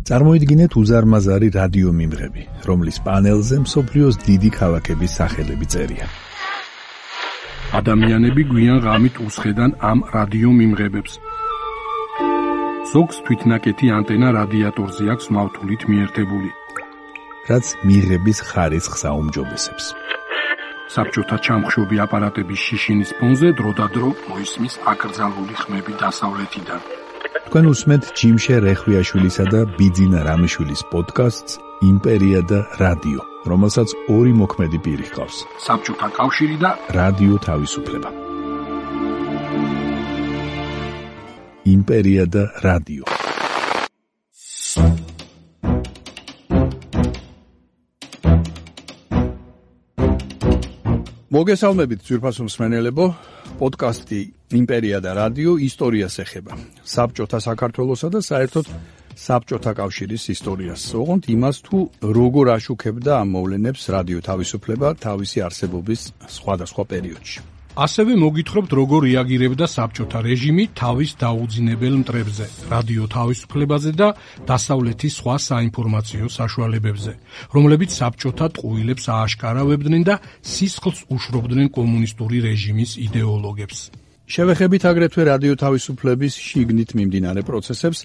წარმოიდგინეთ უზარმაზარი რადიო მიმღები, რომლის პანელზე მსოფლიოს დიდი ქალაქების სახელები წერია. ადამიანები გვიან ღამით უსხედან ამ რადიო მიმღებებს. ზოგს თვითნაკეთი ანტენა რადიატორზე აქვს მავთულით მიერთებული, რაც მიღების ხარისხს აუმჯობესებს. საბჭოთა ჩამხშობი აპარატების შიშინის ფონზე დროდადრო მოისმის აკრძალული ხმები დასავლეთიდან. თქვენ უსმენთ ჯიმშე რეხვიაშვილისა და ბიძინა რამიშვილის პოდკასტს იმპერია და რადიო, რომელსაც ორი მოქმედი პირი ჰყავს. საბჭოთა კავშირი და რადიო თავისუფლება. იმპერია და რადიო. მოგესალმებით ძვირფასო მსმენელებო, პოდკასტი იმპერია და რადიო ისტორიას ეხება. საბჭოთა საქართველოსა და საერთოდ საბჭოთა კავშირის ისტორიას. ოღონდ იმას თუ როგორ აშუქებდა ამ მოვლენებს რადიო თავისუფლება თავისი არსებობის სხვადასხვა პერიოდში. ასევე მოგითხრობთ როგორ რეაგირებდა საბჭოთა რეჟიმი თავის დაუძინებელ მტრებზე, რადიო თავისუფლებაზე და დასავლეთის სხვა საინფორმაციო საშუალებებზე, რომლებიც საბჭოთა ტყუილებს ააშკარავებდნენ და სისხლს უშრობდნენ კომუნისტური რეჟიმის იდეოლოგებს. შევეხებით აგრეთვე რადიო თავისუფლების შიგნით მიმდინარე პროცესებს,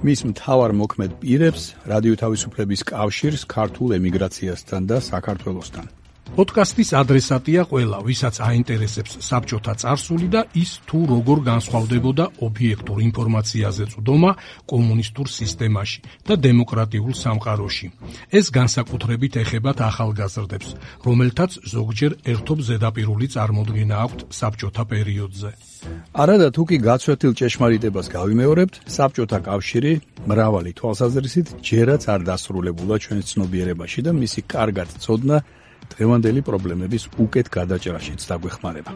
მის მთავარ მოქმედ პირებს, რადიო თავისუფლების კავშირს ქართულ ემიგრაციასთან და საქართველოსთან. პოდკასტის ადრესატია ყველა, ვისაც აინტერესებს საბჭოთა წარსული და ის თუ როგორ განსხვავდებოდა ობიექტურ ინფორმაციაზე წვდომა კომუნისტურ სისტემაში და დემოკრატიულ სამყაროში. ეს განსაკუთრებით ეხებათ ახალგაზრდებს, რომელთაც ზოგჯერ ერთობ ზედაპირული წარმოდგენა აქვთ საბჭოთა პერიოდზე. არადა თუ კი გაცვეთილ ჭეშმარიტებას გავიმეორებთ, საბჭოთა კავშირი მრავალი თვალსაზრისით ჯერაც არ დასრულებულა ჩვენს ცნობიერებაში და მისი კარგად ცოდნა დღევანდელი პრობლემების უკეთ გადაჭრაშიც დაგვეხმარება.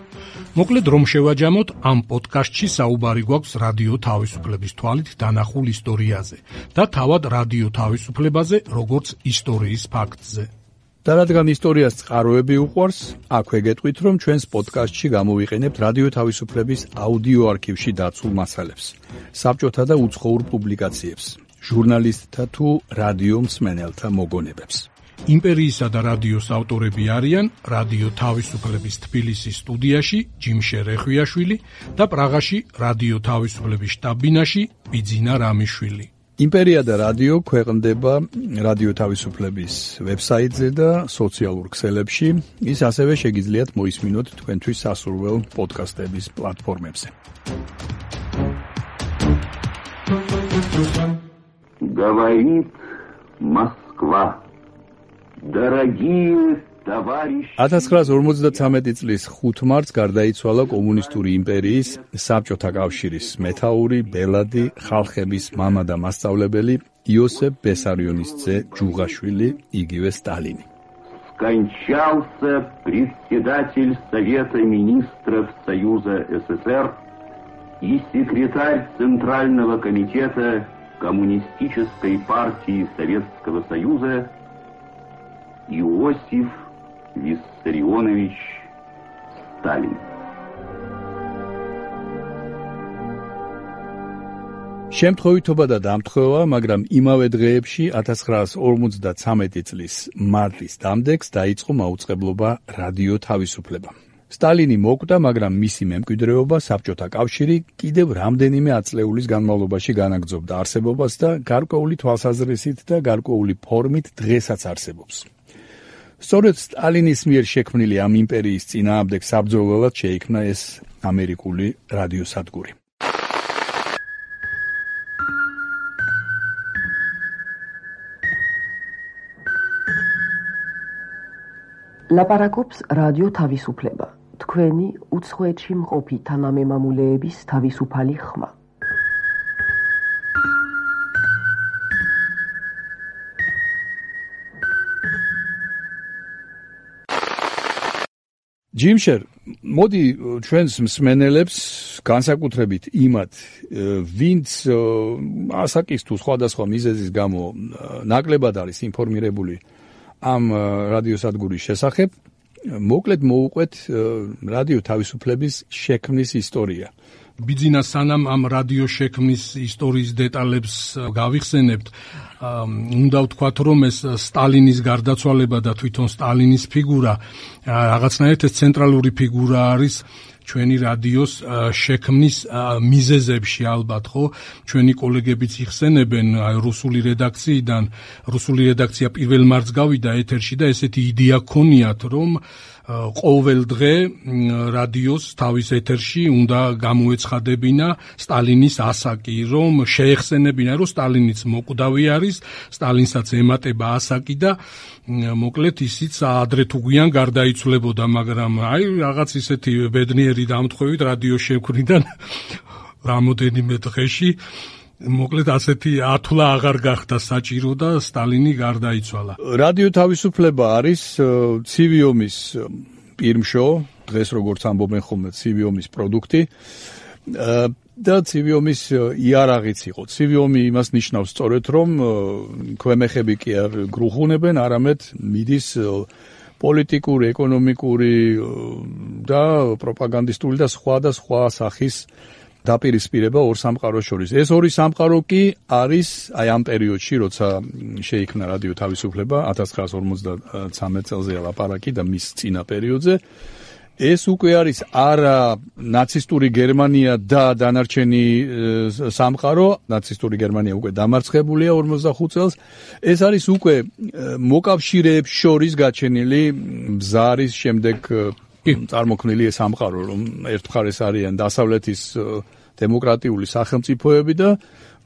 მოკლედ რომ შევაჯამოთ, ამ პოდკასტში საუბარი გვაქვს რადიო თავისუფლების თვალით დანახულ ისტორიაზე და თავად რადიო თავისუფლებაზე, როგორც ისტორიის ფაქტზე. და რადგან ისტორიას წყაროები უყვარს, აქვე გეტყვით, რომ ჩვენს პოდკასტში გამოვიყენებთ რადიო თავისუფლების აუდიო არქივში დაცულ მასალებს, საბჭოთა და უცხოურ პუბლიკაციებს, ჟურნალისტთა თუ რადიო მსმენელთა მოგონებებს. იმპერიისა და რადიოს ავტორები არიან რადიო თავისუფლების თბილისის სტუდიაში ჯიმშე რეხვიაშვილი და პრაღაში რადიო თავისუფლების შტაბ-ბინაში ბიძინა რამიშვილი. იმპერია და რადიო ქვეყნდება რადიო თავისუფლების ვებსაიტზე და სოციალურ ქსელებში. ის ასევე შეგიძლიათ მოისმინოთ თქვენთვის სასურველ პოდკასტების პლატფორმებზე. Говорит Москва. 1953 წლის 5 მარტს გარდაიცვალა კომუნისტური იმპერიის, საბჭოთა კავშირის მეთაური, ბელადი, ხალხების მამა და მასწავლებელი იოსებ ბესარიონის ძე ჯუღაშვილი, იგივე სტალინი. Скончался председатель Совета министров Союза СССР и секретарь Центрального комитета Коммунистической партии Советского Союза Иосиф Виссарионович Сталин. შემთხვევითობა და დამთხოვა, მაგრამ იმავე დღეებში 1953 წლის მარტის დამდეგს დაიწყო მაუწყებლობა რადიო თავისუფლება. სტალინი მოკვდა, მაგრამ მისი მემკვიდრეობა საბჭოთა კავშირი კიდევ რამდენიმე ათწლეულის განმავლობაში განაგრძობდა არსებობას და გარკვეული თვალსაზრისით და გარკვეული ფორმით დღესაც არსებობს. სწორედ სტალინის მიერ შექმნილი ამ იმპერიის წინააღმდეგ საბრძოლველად შეიქმნა ეს ამერიკული რადიოსადგური. ლაპარაკობს რადიო თავისუფლება, თქვენი უცხოეთში მყოფი თანამემამულეების თავისუფალი ხმა. ჯიმშერ, მოდი ჩვენს მსმენელებს განსაკუთრებით იმათ, ვინც ასაკის თუ სხვადასხვა მიზეზის გამო ნაკლებად არის ინფორმირებული ამ რადიოსადგურის შესახებ, მოკლედ მოუყვეთ რადიო თავისუფლების შექმნის ისტორია ბიძინა სანამ ამ რადიო შექმნის ისტორიის დეტალებს გავიხსენებთ, უნდა ვთქვათ, რომ ეს სტალინის გარდაცვალება და თვითონ სტალინის ფიგურა რაღაცნაირად ეს ცენტრალური ფიგურა არის ჩვენი რადიოს შექმნის მიზეზებში ალბათ, ხო? ჩვენი კოლეგებიც იხსენებენ რუსული რედაქციიდან, რუსული რედაქცია პირველ მარტს გავიდა ეთერში და ესეთი იდეა ქონიათ, რომ ყოველ დღე რადიოს თავის ეთერში უნდა გამოეცხადებინა სტალინის ასაკი, რომ შეეხსენებინა, რომ სტალინიც მოკვდავი არის, სტალინსაც ემატება ასაკი და მოკლედ ისიც ადრე თუ გვიან გარდაიცვლებოდა, მაგრამ აი რაღაც ისეთი ბედნიერი დამთხოვით რადიოს შექმნიდან რამოდენიმე დღეში მოკლედ ასეთი ათვლა აღარ გახდა საჭირო და სტალინი გარდაიცვალა. რადიო თავისუფლება არის ცივი ომის პირმშო, დღეს როგორც ამბობენ ხოლმე ცივი ომის პროდუქტი და ცივი ომის იარაღიც იყო. ცივი ომი იმას ნიშნავს სწორედ, რომ ქვემეხები კი არ გრუხუნებენ, არამედ მიდის პოლიტიკური, ეკონომიკური და პროპაგანდისტული და სხვა სახის დაპირისპირება ორ სამყაროს შორის. ეს ორი სამყარო კი არის აი ამ პერიოდში, როცა შეიქმნა რადიო თავისუფლება 1953 წელზე ლაპარაკი და მის წინა პერიოდზე. ეს უკვე არის არა ნაცისტური გერმანია და დანარჩენი სამყარო, ნაცისტური გერმანია უკვე დამარცხებულია 45 წელს. ეს არის უკვე მოკავშირეებს შორის გაჩენილი ბზარის შემდეგ წარმოქმნილი სამყარო, რომ ერთ მხარეს არიან დასავლეთის დემოკრატიული სახელმწიფოები და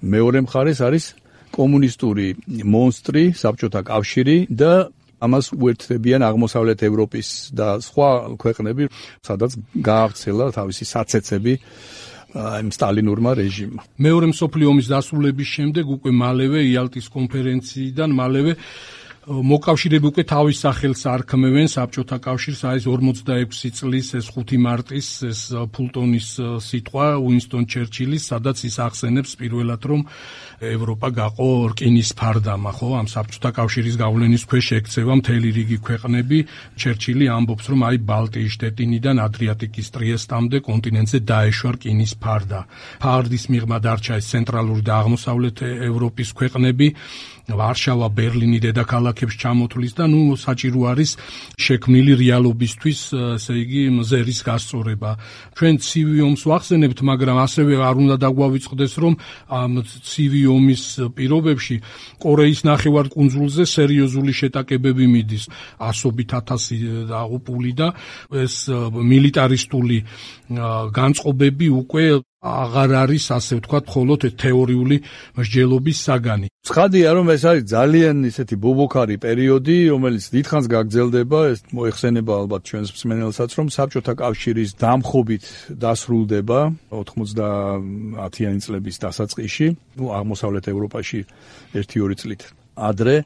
მეორე მხარეს არის კომუნისტური მონსტრი, საბჭოთა კავშირი და ამას უერთდებიან აღმოსავლეთ ევროპის და სხვა ქვეყნები, სადაც გაავრცელა თავისი საცეცები იმ სტალინურმა რეჟიმმა. მეორე მსოფლიო ომის დასრულების შემდეგ უკვე მალევე იალტის კონფერენციიდან მალევე მოკავშირეები უკვე თავის სახელს არქმევენ საბჭოთა კავშირს, აი ეს 46 წლის ეს 5 მარტის ეს ფულტონის სიტყვა უინსტონ ჩერჩილის, სადაც ის ახსენებს პირველად, რომ ევროპა გაყო რკინის ფარდამა, ხო, ამ საბჭოთა კავშირის გავლენის ქვეშ ექცევა მთელი რიგი ქვეყნები. ჩერჩილი ამბობს, რომ აი ბალტიის შტეტინიდან ადრიატიკის ტრიესტამდე კონტინენტზე დაეშვა რკინის ფარდა. ფარდის მიღმა დარჩა ეს ცენტრალური და აღმოსავლეთ ევროპის ქვეყნები. ვარშავა, ბერლინი დედაქალაქებს ჩამოთვლის და საჭირო არის შექმნილი რეალობისთვის, ესე იგი, მზერის გასწორება. ჩვენ ცივი ომს ვახსენებთ, მაგრამ ასევე არ უნდა დაგვავიწყდეს, რომ ამ ცივი ომის პირობებში კორეის ნახევარკუნძულზე სერიოზული შეტაკებები მიდის. ასობით ათასი დაღუპული და ეს მილიტარისტული განწყობები უკვე აღარ არის, ასე ვთქვათ, მხოლოდ თეორიული მსჯელობის საგანი. ცხადია, რომ ეს არის ძალიან ისეთი ბობოქარი პერიოდი, რომელიც დიდხანს გაგრძელდება, ეს მოეხსენება ალბათ ჩვენს მსმენელსაც, რომ საბჭოთა კავშირის დამხობით დასრულდება 90-იანი წლების დასაწყისში, აღმოსავლეთ ევროპაში 1-2 წლით ადრე.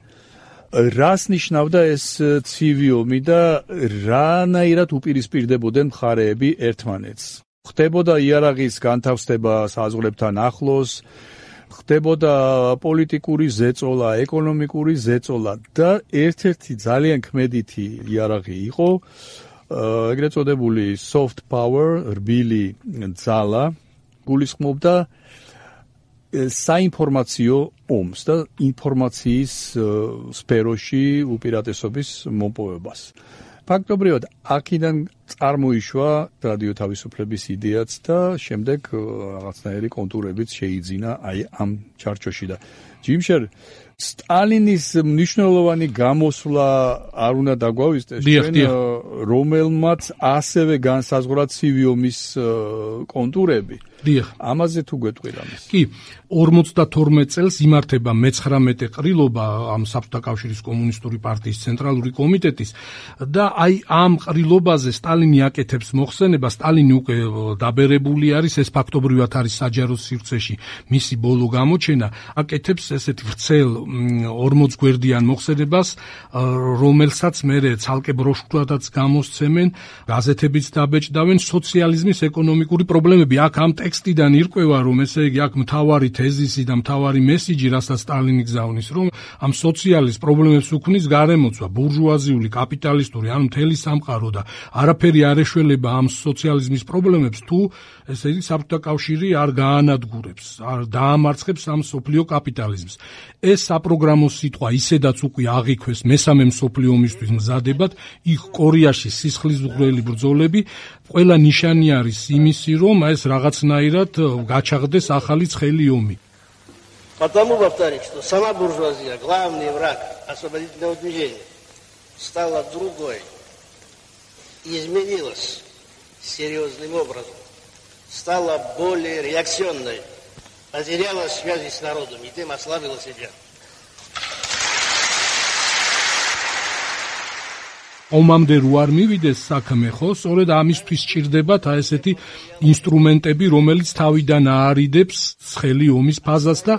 რას ნიშნავდა ეს ცივი ომი და რანაირად უპირისპირდებოდნენ მხარეები ერთმანეთს? ხდებოდა იარაღის განთავსება საზღვრებთან ახლოს, ხდებოდა პოლიტიკური ზეწოლა, ეკონომიკური ზეწოლა და ერთ-ერთი ძალიან ქმედითი იარაღი იყო ეგრეთ წოდებული soft power, რბილი ძალა, გულისხმობდა საინფორმაციო ომს და ინფორმაციის სფეროში უპირატესობის მოპოვებას. ფაქტობრივად, აქედან წარმოიშვა რადიო თავისუფლების იდეაც და შემდეგ რაღაცნაირი კონტურებიც შეიძინა აი ამ ჩარჩოში და ჯიმშერ სტალინის მნიშვნელოვანი გამოსვლა არ უნდა დაგვავიწყდეს ჩვენ, რომელმაც ასევე განსაზღვრა ცივი ომის კონტურები. ამაზე თუ გვეტყვი რამეს. კი, 52 წელს იმართება მე-19 ყრილობა ამ საბჭოთა კავშირის კომუნისტური პარტიის ცენტრალური კომიტეტის და აი ამ ყრილობაზე სტალინი აკეთებს მოხსენება. სტალინი უკვე დაბერებული არის, ეს ფაქტობრივად არის საჯარო სივრცეში მისი ბოლო გამოჩენა. აკეთებს ესეთი ვრცელ 40 გვერდიან მოხსენებას, რომელსაც მერე ცალკე ბროშურადაც გამოსცემენ, გაზეთებიც დაბეჭდავენ, სოციალიზმის ეკონომიკური პრობლემები. აქ ამ ტექსტიდან ირკვევა, რომ ესე იგი აქ მთავარი თეზისი და მთავარი მესიჯი, რასაც სტალინი გზავნის, რომ ამ სოციალიზმის პრობლემებს უქმნის გარემოცვა, ბურჟუაზიული, კაპიტალისტური, ანუ მთელი სამყარო და არაფერი ყველაფერი არ ეშველება ამ სოციალიზმის პრობლემებს, თუ ესე იგი საბჭოთა კავშირი არ გაანადგურებს, არ დაამარცხებს ამ სოფლიო კაპიტალიზმს. ეს საპროგრამო სიტყვა ისედაც უკვე აღიქვეს მესამე მსოფლიო ომისთვის მზადებად, იქ კორეაში სისხლისმღვრელი ბრძოლები, ყველა ნიშანი არის იმისი, რომ ეს რაღაცნაირად გაჩაღდეს ახალი ცხელი ომი. Потому, повторюсь, что сама буржуазия, главный враг освободительного движения, стала другой, изменилась серьезным образом, стала более реакционной, потеряла связи с народом и тем ослабила себя. ომამდე რო არ მივიდეს საქმე, ხო, სწორედ ამისთვის სჭირდებათ ესეთი ინსტრუმენტები, რომელიც თავიდან აარიდებს ცხელი ომის ფაზას და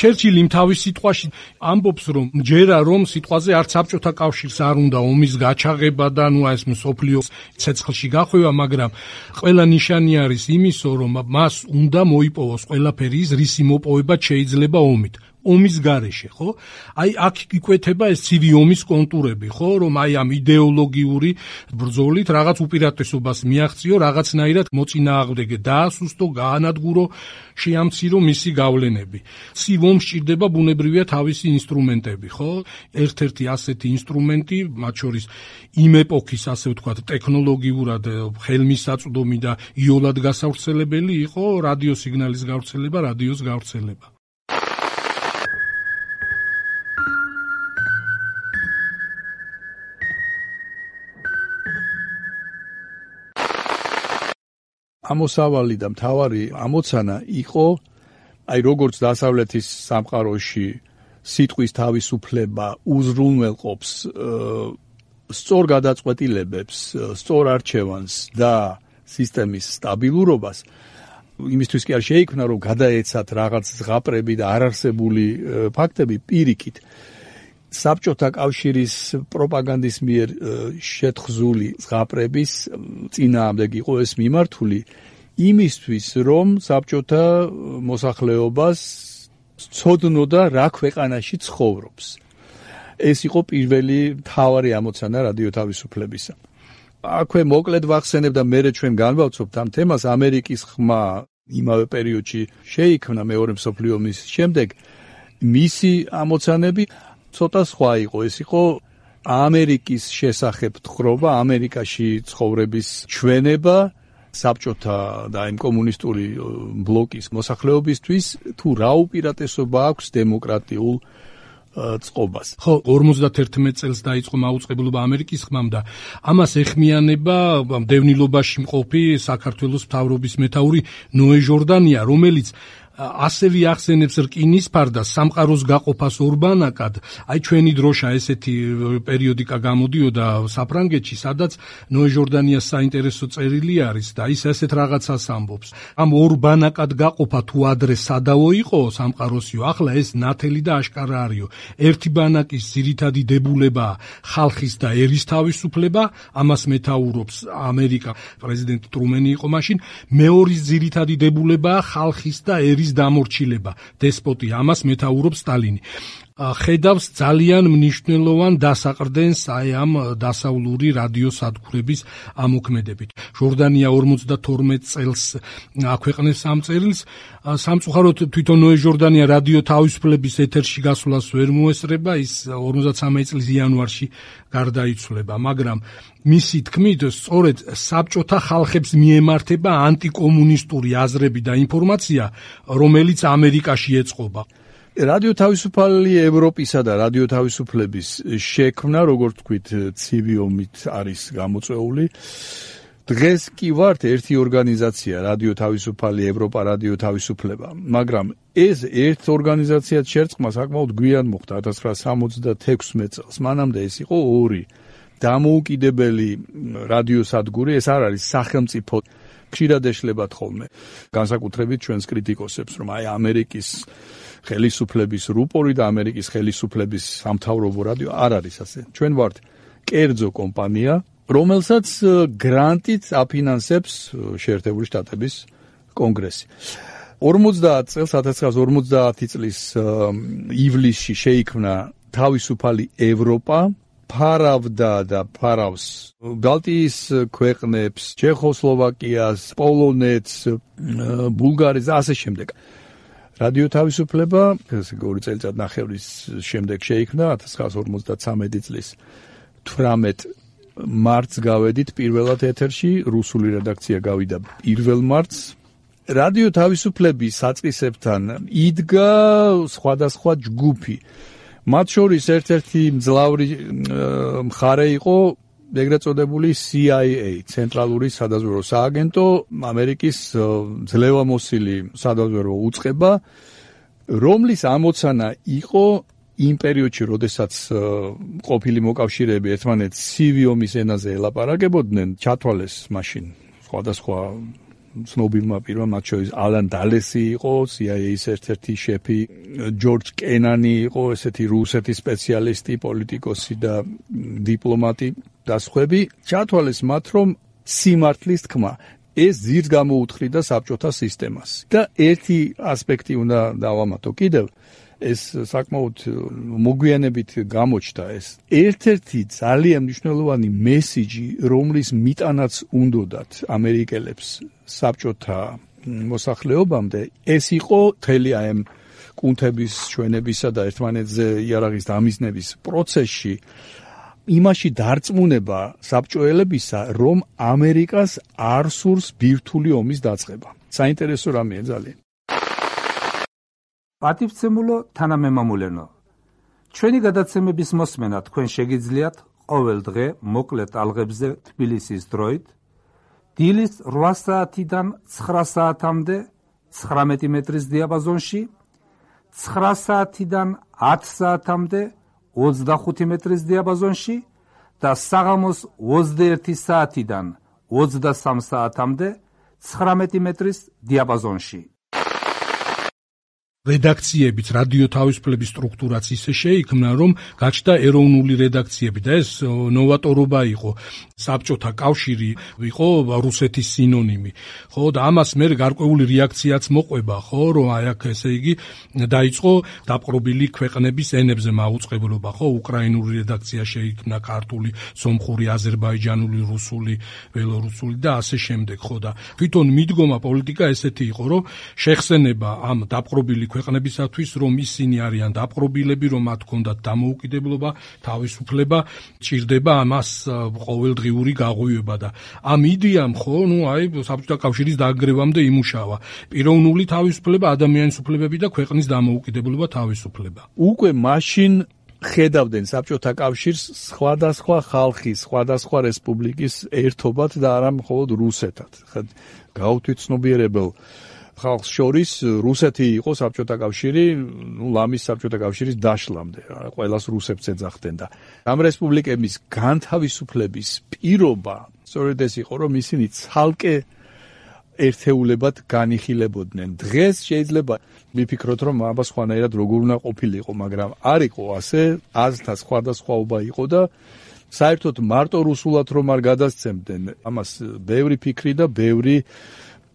ჩერჩილი თავის სიტყვაში ამბობს, რომ ჯერა რომ სიტყვაზე არც საბჭოთა კავშირს არ უნდა ომის გაჩაღება და ნუ ეს მსოფლიო ცეცხლში გახვევა, მაგრამ ყველა ნიშანი არის იმისო, რომ მას უნდა მოიპოვოს ყველაფერი ის, რისი მოპოვება შეიძლება ომით. ომის გარეშე, ხო? აი აქ იკვეთება ეს ცივი ომის კონტურები, ხო, რომ აი ამ იდეოლოგიური ბრძოლით რაღაც უპირატესობას მიაღწიო, რაღაცნაირად მოწინააღმდეგე დაასუსტო, გაანადგურო, შეამცირო მისი გავლენები. ცივ ომს სჭირდება ბუნებრივია თავისი ინსტრუმენტები, ხო? ერთ-ერთი ასეთი ინსტრუმენტი, მათ შორის იმ ეპოქის, ასე ვთქვათ, ტექნოლოგიურად ხელმისაწვდომი და იოლად გასავრცელებელი იყო რადიოსიგნალის გავრცელება, რადიოს გავრცელება. ამოსავალი და მთავარი ამოცანა იყო, აი როგორც დასავლეთის სამყაროში სიტყვის თავისუფლება უზრუნველყოფს სწორ გადაწყვეტილებებს, სწორ არჩევანს და სისტემის სტაბილურობას, იმისთვის კი არ შეიქმნა, რომ გადაეცათ რაღაც ზღაპრები და არარსებული ფაქტები პირიქით. საბჭოთა კავშირის პროპაგანდის მიერ შეთხზული ზღაპრების წინააღმდეგ იყო ეს მიმართული იმისთვის, რომ საბჭოთა მოსახლეობას ცოდნოდა რა ქვეყანაში ცხოვრობს. ეს იყო პირველი მთავარი ამოცანა რადიო თავისუფლებისა. აქვე მოკლედ ვახსენებ და მერე ჩვენ განვავწობთ ამ თემას. ამერიკის ხმა იმავე პერიოდში შეიქმნა მეორე მსოფლიო ომის შემდეგ. მისი ამოცანები ცოტა სხვა იყო, ეს იყო ამერიკის შესახებ თხრობა, ამერიკაში ცხოვრების ჩვენება საბჭოთა და იმ კომუნისტური ბლოკის მოსახლეობისთვის, თუ რა უპირატესობა აქვს დემოკრატიულ წყობას. ხო, 51 წელს დაიწყო მაუწყებლობა ამერიკის ხმამ და ამას ეხმიანება დევნილობაში მყოფი საქართველოს მთავრობის მეთაური ნოე ჟორდანია, რომელიც ასევე ახსენებს რკინის ფარდას სამყაროს გაყოფას ორბანაკად. აი ჩვენი დროშა ესეთი პერიოდიკა გამოდიოდა საფრანგეთში, სადაც ნოე ჟორდანიას საინტერესო წერილი არის და ის ესეთ რაღაცას ამბობს. ამ ორბანაკად გაყოფა თუ ადრე სადავო იყო სამყაროსიო, ახლა ეს ნათელი და აშკარა არისო. ერთი ბანაკის ძირითადი დებულებაა ხალხის და ერის თავისუფლება, ამას მეთაურობს ამერიკა, პრეზიდენტი ტრუმენი იყო მაშინ, მეორის ძირითადი დებულებაა ხალხის და ერის დამორჩილება, დესპოტი, ამას მეთაურობს სტალინი. ხედავს ძალიან მნიშვნელოვან დასაყრდენს აი ამ დასავლური რადიოსადგურების ამოქმედებით. ჟორდანია 52 წელს აქვეყნეს ამ წერილს. სამწუხაროდ თვითონ ნოე ჟორდანია რადიო თავისუფლების ეთერში გასვლას ვერ მოესწრება, ის 53 წლის იანვარში გარდაიცვალა, მაგრამ მისი თქმით, სწორედ საბჭოთა ხალხებს მიემართება ანტიკომუნისტური აზრები და ინფორმაცია, რომელიც ამერიკაში ეწყობა. რადიო თავისუფალი ევროპისა და რადიო თავისუფლების შექმნა, როგორც თქვით, ცივი ომით არის გამოწვეული. დღეს კი ვართ ერთი ორგანიზაცია, რადიო თავისუფალი ევროპა, რადიო თავისუფლება, მაგრამ ეს ერთ ორგანიზაციად შერწყმა საკმაოდ გვიან მოხდა 1966 წელს. მანამდე ეს იყო ორი დამოუკიდებელი რადიოსადგური, ეს არ არის სახელმწიფო. ხშირად ეშლებათ ხოლმე განსაკუთრებით ჩვენს კრიტიკოსებს, რომ აი ამერიკის ხელისუფლების რუპორი და ამერიკის ხელისუფლების სამთავრობო რადიო არ არის ასე. ჩვენ ვართ კერძო კომპანია, რომელსაც გრანტით აფინანსებს შეერთებული შტატების კონგრესი. 1950 წლის ივლისში შეიქმნა თავისუფალი ევროპა, ფარავდა და ფარავს ბალტიის ქვეყნებს, ჩეხოსლოვაკიას, პოლონეთს, ბულგარეთს და ასე შემდეგ. რადიო თავისუფლება 2 წელიწადნახევრის შემდეგ შეიქმნა 1953 წლის 18 მარტს გავედით პირველად ეთერში, რუსული რედაქცია გავიდა 1 მარტს. რადიო თავისუფლების საწყისებთან იდგა სხვადასხვა ჯგუფი. მათ შორის ერთ-ერთი მძლავრი მხარე იყო ეგრეთ წოდებული CIA, ცენტრალური სადაზვერვო სააგენტო, ამერიკის ძლევამოსილი სადაზვერვო უწყება, რომლის ამოცანა იყო იმ პერიოდში, როდესაც ყოფილი მოკავშირეები ერთმანეთს ცივი ომის ენაზე ელაპარაკებოდნენ, ჩათვალეს მაშინ სხვადასხვა ცნობილმა პირმა, მათ შორის ალან დალესი იყო, CIA-ის ერთ-ერთი შეფი, ჯორჯ კენანი იყო, ესეთი რუსეთის სპეციალისტი, პოლიტიკოსი და დიპლომატი და სხვები, ჩათვალეს მათ, რომ სიმართლის თქმა ეს ძირს გამოუთხრიდა საბჭოთა სისტემას. და ერთი ასპექტი უნდა დავამატო კიდევ, ეს საკმაოდ მოგვიანებით გამოჩნდა ეს. ერთ-ერთი ძალიან მნიშვნელოვანი მესიჯი, რომლის მიტანაც უნდოდათ ამერიკელებს საბჭოთა მოსახლეობამდე, ეს იყო მთელი ამ კუნთების, ჩვენებისა და ერთმანეთზე იარაღის დამიზნების პროცესში იმაში დარწმუნება საბჭოელებისა, რომ ამერიკას არ სურს ბირთვული ომის დაწყება. საინტერესო რამეა ძალიან. პატივცემულო თანამემამულენო, ჩვენი გადაცემების მოსმენა თქვენ შეგიძლიათ ყოველ დღე მოკლე ტალღებზე თბილისის დროით, დილის 8 საათიდან 9 საათამდე 19 მეტრის დიაპაზონში, 9 საათიდან 10 საათამდე 25 მეტრის დიაპაზონში და საღამოს 21 საათიდან 23 საათამდე 19 მეტრის დიაპაზონში. რედაქციებიც რადიო თავისუფლების სტრუქტურაც ისე შეიქმნა, რომ გაჩნდა ეროვნული რედაქციები და ეს ნოვატორობა იყო. საბჭოთა კავშირი იყო რუსეთის სინონიმი. ხო, და ამას მე გარკვეული რეაქციაც მოყვება, ხო, რომ აი აქ ესე იგი დაიწყო დაპყრობილი ქვეყნების ენებზე მაუწყებლობა, ხო, უკრაინული რედაქცია შეიქმნა, ქართული, სომხური, აზერბაიჯანული, რუსული, ბელორუსული და ასე შემდეგ, ხო, და თვითონ მიდგომა პოლიტიკა ესეთი იყო, რომ შეხსენება ამ დაპყრობილი ქვეყნებისათვის, რომ ისინი არიან დაპყრობილები, რომ მათ ჰქონდათ დამოუკიდებლობა, თავისუფლება, ჭირდება ამას ყოველდღიური გაღვივება და ამ იდეამ ხო, აი საბჭოთა კავშირის დაგრევამდე იმუშავა. პიროვნული თავისუფლება, ადამიანის უფლებები და ქვეყნის დამოუკიდებლობა, თავისუფლება. უკვე მაშინ ხედავდნენ საბჭოთა კავშირს სხვადასხვა ხალხის, სხვადასხვა რესპუბლიკის ერთობად და არა მხოლოდ რუსეთად. გავთვით ცნობიერებელ ხალხს შორის რუსეთი იყო საბჭოთა კავშირი, ლამის საბჭოთა კავშირის დაშლამდე, ყველას რუსებს ეძახდნენ და ამ რესპუბლიკების განთავისუფლების პირობა სწორედ ეს იყო, რომ ისინი ცალკე ერთეულებად განიხილებოდნენ. დღეს შეიძლება ვიფიქროთ, რომ აბა სხვანაირად როგორ უნდა ყოფილიყო, მაგრამ არ იყო ასე, აზრთა სხვადასხვაობა იყო და საერთოდ მარტო რუსულად რომ არ გადასცემდნენ, ამას ბევრი ფიქრი და ბევრი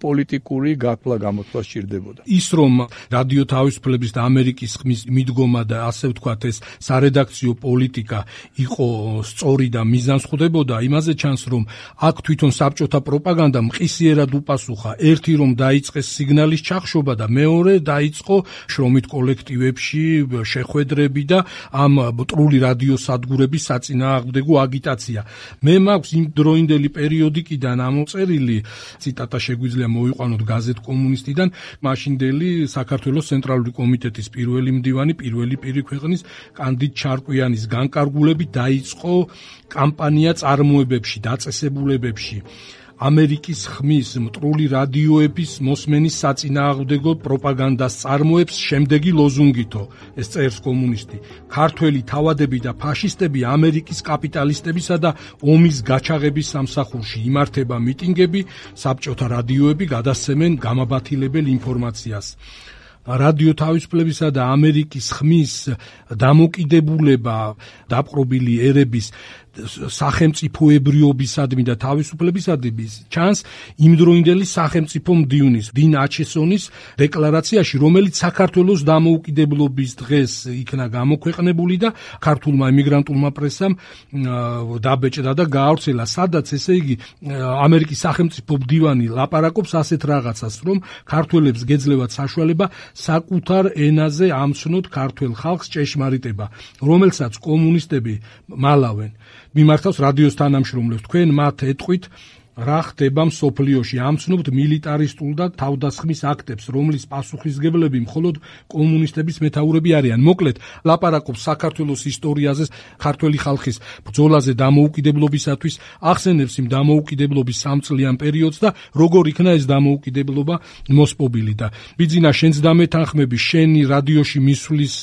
პოლიტიკური გაკლა გამოთვლა სჭირდებოდა. ის რომ რადიო თავისუფლების და ამერიკის ხმის მიდგომა და ასე ვთქვათ ეს სარედაქციო პოლიტიკა იყო სწორი და მიზანსხვდებოდა, იმაზე ჩანს რომ აქ თვითონ საბჭოთა პროპაგანდა მყისიერად უპასუხა. ერთი რომ დაიწყეს სიგნალის ჩახშობა და მეორე დაიწყო შრომით კოლექტივებში შეხვედრები და ამ მტრული რადიოსადგურების საწინააღმდეგო აგიტაცია. მე მაქვს იმ დროინდელი პერიოდიკიდან ამოწერილი ციტატა შეგვიძლია მოვიყვანოთ გაზეთ კომუნისტიდან, მაშინდელი საქართველოს ცენტრალური კომიტეტის პირველი მდივანი, პირველი პირი ქვეყნის კანდიდ ჩარკვიანის განკარგულებით დაიწყო კამპანია წარმოებებში, დაწესებულებებში. ამერიკის ხმის მტრული რადიოების მოსმენის საწინააღმდეგო პროპაგანდას წარმოებს შემდეგი ლოზუნგითო, ეს წერს კომუნისტი: ქართველი თავადები და ფაშისტები ამერიკის კაპიტალისტებისა და ომის გაჩაღების სამსახურში იმართება მიტინგები, საბჭოთა რადიოები გადასცემენ გამაბათილებელ ინფორმაციას. რადიო თავისუფლებისა და ამერიკის ხმის დამოკიდებულება დაპყრობილი ერების სახელმწიფოებრიობისადმი და თავისუფლებისადმი ჩანს იმდროინდელი სახელმწიფო მდივნის 딘 აჩესონის დეკლარაციაში, რომელიც საქართველოს დამოუკიდებლობის დღეს იქნა გამოქვეყნებული და ქართულმა ემიგრანტულმა პრესამ დაბეჭდა და გაავრცელა, სადაც ესე იგი ამერიკის სახელმწიფო მდივანი ლაპარაკობს ასეთ რაღაცას, რომ ქართველებს გეძლევათ საშუალება საკუთარ ენაზე ამცნოთ ქართველ ხალხს ჭეშმარიტება, რომელსაც კომუნისტები მალავენ. მიმართავს რადიოს თანამშრომლებს, თქვენ მათ ეტყვით რა ხდება მსოფლიოში, ამცნობთ მილიტარისტულ და თავდასხმის აქტებს, რომლის პასუხისმგებლები მხოლოდ კომუნისტების მეთაურები არიან. მოკლედ, ლაპარაკობს საქართველოს ისტორიაზე, ქართველი ხალხის ბრძოლაზე დამოუკიდებლობისათვის, ახსენებს იმ დამოუკიდებლობის სამწლიან პერიოდს და როგორ იქნა ეს დამოუკიდებლობა მოსპობილი. და ბიძინა, შენც დამეთანხმები, შენი რადიოში მისვლის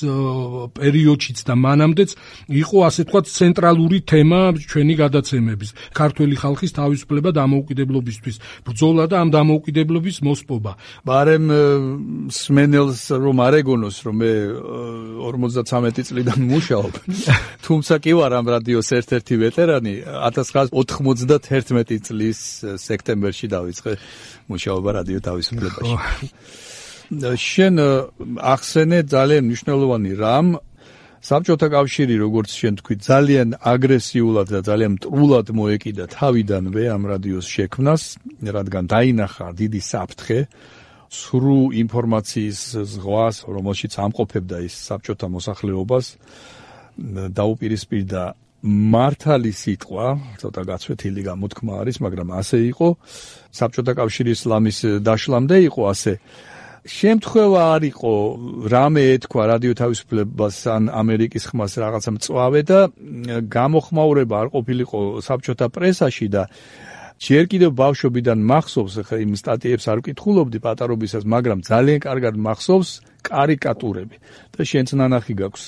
პერიოდშიც და მანამდეც იყო ასე თქვა ცენტრალური თემა ჩვენი გადაცემების, ქართველი ხალხის თავისუფლება დამოუკიდებლობისთვის ბრძოლა და ამ დამოუკიდებლობის მოსპობა. ბარემ სმენელს რომ არ ეგონოს, რომ მე 53 წლიდან მუშაობ. თუმცა კი ვარ ამ რადიოს ერთ-ერთი ვეტერანი, 1991 წლის სექტემბერში დავიწყე მუშაობა რადიო თავისუფლებაში. შენ ახსენე ძალიან მნიშვნელოვანი რამ, საბჭოთა კავშირი, როგორც შენ თქვი, ძალიან აგრესიულად და ძალიან მტრულად მოეკიდა თავიდანვე ამ რადიოს შექმნას, რადგან დაინახა დიდი საფრთხე, სრულ ინფორმაციის ზღვას, რომელშიც ამყოფებდა ის საბჭოთა მოსახლეობას, დაუპირისპირდა მართალი სიტყვა, ცოტა გაცვეთილი გამოთქმა არის, მაგრამ ასე იყო, საბჭოთა კავშირის ლამის დაშლამდე იყო ასე. შემთხვევა არ იყო რამე ეთქვა რადიო თავისუფლებას ან ამერიკის ხმას რაღაცა მწვავე და გამოხმაურება არ ყოფილიყო საბჭოთა პრესაში და ჯერ კიდევ ბავშვობიდან მახსოვს, ხა იმ სტატიებს არ ვკითხულობდი პატარობისას, მაგრამ ძალიან კარგად მახსოვს კარიკატურები. და შენც ნანახი გაქვს,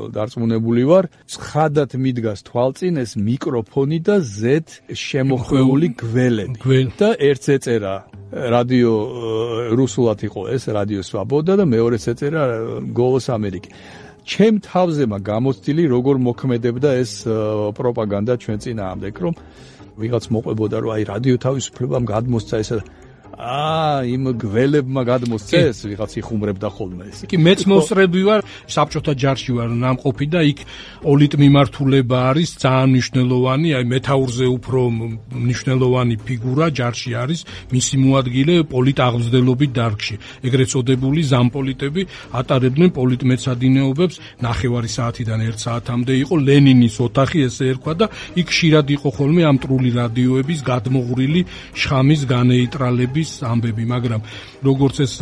დარწმუნებული ვარ, ცხადად მიდგას თვალწინ ეს მიკროფონი და ზედ შემოხვეული გველები. და ერთს ეწერა რადიო რუსულად იყო ეს რადიო სვაბოდა და მეორეც ეწერა გოლოს ამერიკი. ჩემ თავზემა გამოცდილი როგორ მოქმედებდა ეს პროპაგანდა ჩვენ წინააღმდეგ, რომ ვიღაც მოყვებოდა, რომ აი რადიო თავისუფლებამ გადმოსცა ესა იმ გველებმა გადმოსცეს, ვიღაც იხუმრებდა ხოლმე ეს. კი მეც მოსწრები ვარ, საბჭოთა ჯარში ვარ ნამყოფი და იქ პოლიტმიმართულება არის ძალიან მნიშვნელოვანი, აი მეთაურზე უფრო მნიშვნელოვანი ფიგურა ჯარში არის, მისი მოადგილე პოლიტაღმზრდელობით დარგში. ეგრეთ წოდებული ზამპოლიტები ატარებდნენ პოლიტმეცადინეობებს, ნახევარი საათიდან 1 საათამდე იყო ლენინის ოთახი, ესე ერქვა და იქ ხშირად იყო ხოლმე ამ მტრული რადიოების გადმოღვრილი შხამის განეიტრალების ამბები, მაგრამ როგორც ეს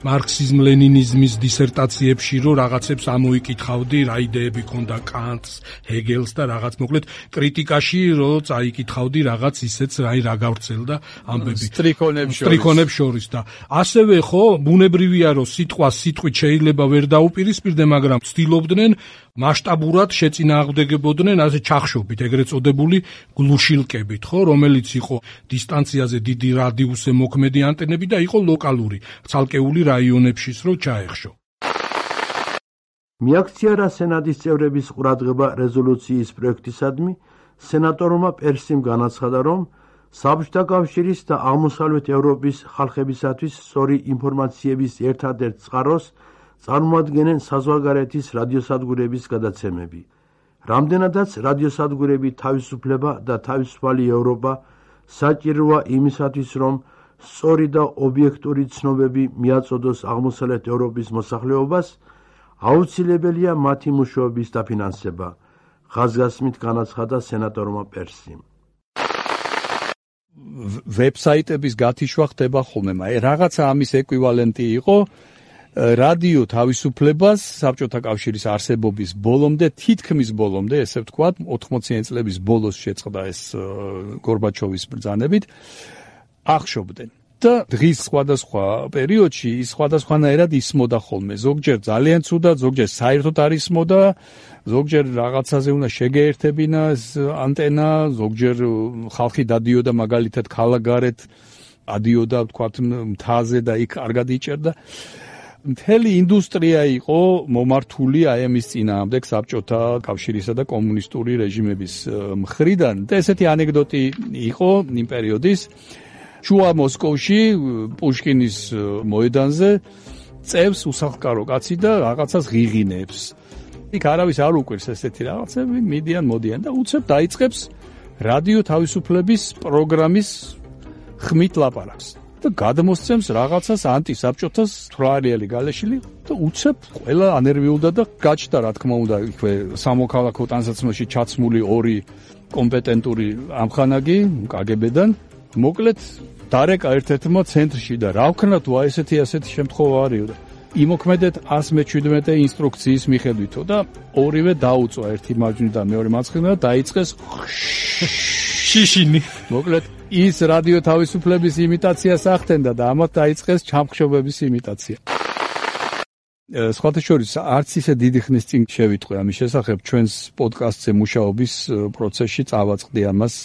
მარქსიზმ-ლენინიზმის დისერტაციებში რო რაღაცებს ამოიკითხავდი, რა იდეები ქონდა კანტს, ჰეგელს და რაღაც მოკლედ კრიტიკაში რო წაიკითხავდი რაღაც ისეც რა გავრცელდა ამბები სტრიქონებს შორის და ასევე ხო ბუნებრივია რომ სიტყვით შეიძლება ვერ დაუპირისპირდე, მაგრამ ცდილობდნენ მასშტაბურად შეწინააღმდეგებოდნენ ასე ჩახშობით, ეგრეთ წოდებული გლუშილკებით, ხო, რომელიც იყო დისტანციაზე დიდი რადიუსზე მოქმედი ანტენები და იყო ლოკალური, ცალკეული რაიონებშიც რო ჩაეხშო. მიაქცია სენატის წევრების ყურადღება რეზოლუციის პროექტისადმი, სენატორმა პერსიმ განაცხადა, რომ საბჭოთა კავშირის და აღმოსავლეთ ევროპის ხალხებისათვის სწორი ინფორმაციების ერთადერთ წყაროს წარმოადგენენ საზღვარგარეთის რადიოსადგურების გადაცემები. რამდენადაც რადიოსადგურები თავისუფლება და თავისუფალი ევროპა საჭიროა იმისათვის, რომ სწორი და ობიექტური ცნობები მიაწოდოს აღმოსავლეთ ევროპის მოსახლეობას, აუცილებელია მათი მუშაობის დაფინანსება, ხაზგასმით განაცხადა სენატორმა პერსიმ. ვებსაიტების გათიშვა ხდება ხოლმე, რაღაცა ამის ეკვივალენტი იყო რადიო თავისუფლებას საბჭოთა კავშირის არსებობის ბოლომდე, თითქმის ბოლომდე, ესე ვთქვათ, 80-იანი წლების ბოლოს შეწყდა ეს გორბაჩოვის ბრძანებით, ახშობდნენ. და დღის სხვადასხვა პერიოდში ის სხვადასხვანაირად ისმოდა ხოლმე. ზოგჯერ ძალიან ცუდად, ზოგჯერ საერთოდ არ ისმოდა, ზოგჯერ რაღაცაზე უნდა შეგეერთებინა ეს ანტენა, ზოგჯერ ხალხი დადიოდა მაგალითად ქალაქგარეთ, ადიოდა ვთქვათ მთაზე და იქ კარგად იჭერდა. მთელი ინდუსტრია იყო მომართული აი ამის წინააღმდეგ საბჭოთა კავშირისა და კომუნისტური რეჟიმების მხრიდან. და ესეთი ანეკდოტი იყო იმ პერიოდის შუა მოსკოვში პუშკინის მოედანზე წევს უსახლკარო კაცი და რაღაცას ღიღინებს. იქ არავის არ უყვირს ესეთი რაღაცები, მოდიან და უცებ დაიწყებს რადიო თავისუფლების პროგრამის ხმით ლაპარაკს. და გადმოსცემს რაღაცას ანტისაბჭოთას თვალიელი გალეშილი და უცებ ყველა ანერვიულდა და გაჩნდა რა თქმა უნდა იქვე სამოქალაქო ტანსაცმელში ჩაცმული ორი კომპეტენტური ამხანაგი კგბ-დან მოკლედ დარეკა ერთ-ერთმა ცენტრში და რა ვქნა თუ აი ესეთი შემთხვევა არისო და იმოქმედეთ 117 ინსტრუქციის მიხედვითო და ორივე დაუწვა ერთი მარჯვნივ და მეორე მარცხნივ და დაიწყეს შიშინი. მოკლედ ის რადიო თავისუფლების იმიტაციას ახდენდა და ამათ დაიწყეს ჩამხშობების იმიტაცია. სხვათა შორის არც ისე დიდი ხნის წინ შევიტყვე ამის შესახებ ჩვენს პოდკასტზე მუშაობის პროცესში წავაწყდი ამას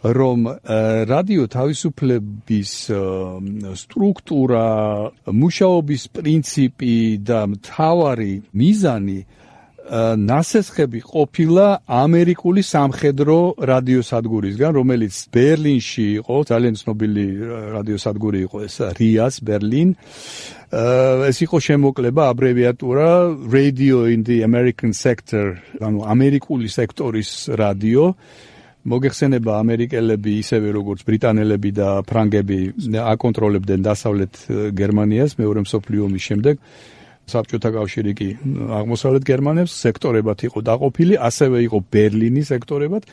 რომ რადიო თავისუფლების სტრუქტურა, მუშაობის პრინციპი და მთავარი მიზანი ნასესხები ყოფილა ამერიკული სამხედრო რადიოსადგურისგან, რომელიც ბერლინში იყო, ძალიან ცნობილი რადიოსადგური იყო ეს RIAS Berlin. ეს იყო შემოკლება, აბრევიატურა Radio in the American Sector, ანუ ამერიკული სექტორის რადიო. მოგეხსენება ამერიკელები ისევე როგორც ბრიტანელები და ფრანგები აკონტროლებდნენ დასავლეთ გერმანიას მეორე მსოფლიო ომის შემდეგ. საბჭოთა კავშირი კი აღმოსავლეთ გერმანებს სექტორებად იყო დაყოფილი, ასევე იყო ბერლინის სექტორებად.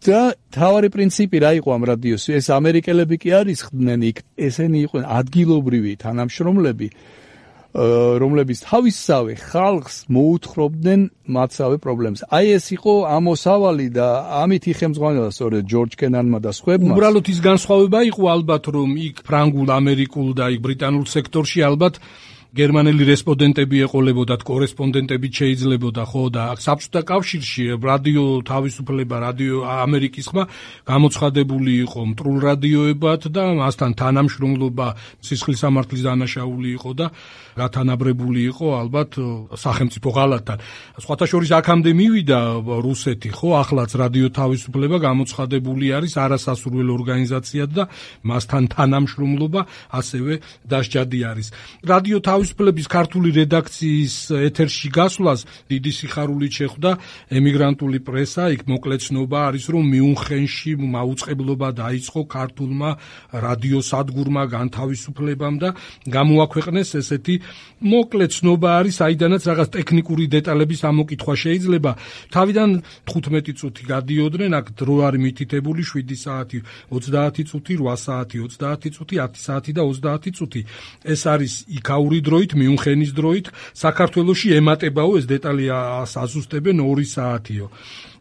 და თავარი პრინციპი რა იყო ამ რადიოს? ეს ამერიკელები კი არ ისხდნენ იქ, ესენი იყვნენ ადგილობრივი თანამშრომლები, რომლებიც თავისსავე ხალხს მოუთხრობდნენ მათსავე პრობლემებს. აი ეს იყო ამოსავალი და ამით იხემძღვანელა სწორედ ჯორჯ კენანმა და სხვებმა. უბრალოდ ის განსხვავება იყო ალბათ, რომ იქ ფრანგულ, ამერიკულ და იქ ბრიტანულ სექტორში ალბათ გერმანელი რესპონდენტები ეყოლებოდათ, კორესპონდენტები შეიძლებოდა, ხო და საბჭოთა კავშირში რადიო თავისუფლება, რადიო ამერიკის ხმა გამოცხადებული იყო მტრულ რადიოებად და მასთან თანამშრომლობა სისხლის სამართლის დანაშაული იყო და გათანაბრებული იყო ალბათ სახელმწიფო ღალატთან. სხვათა შორის აქამდე მივიდა რუსეთი, ხო, ახლაც რადიო თავისუფლება გამოცხადებული არის არასასურველო ორგანიზაციად და მასთან თანამშრომლობა ასევე დასჯადი არის. რადიო თავისუფლების ქართული რედაქციის ეთერში გასვლას დიდი სიხარულით შეხვდა ემიგრანტული პრესა, იქ მოკლეცნობა არის, რომ მიუნხენში მაუწყებლობა დაიწყო ქართულმა რადიოსადგურმა განთავისუფლებამ და გამოაქვეყნეს ესეთი მოკლეცნობა არის, აიდანაც რაღაც ტექნიკური დეტალების ამოკითხვა შეიძლება. თავიდან 15 წუთი გადიოდნენ, აქ დრო არის მითითებული 7 საათი, 30 წუთი, 8 საათი, 30 წუთი, 10 საათი და 30 წუთი. ეს არის იქაური დროით, მიუნხენის დროით, საქართველოში ემატებაო ეს დეტალი აზუსტებენ 2 საათიო.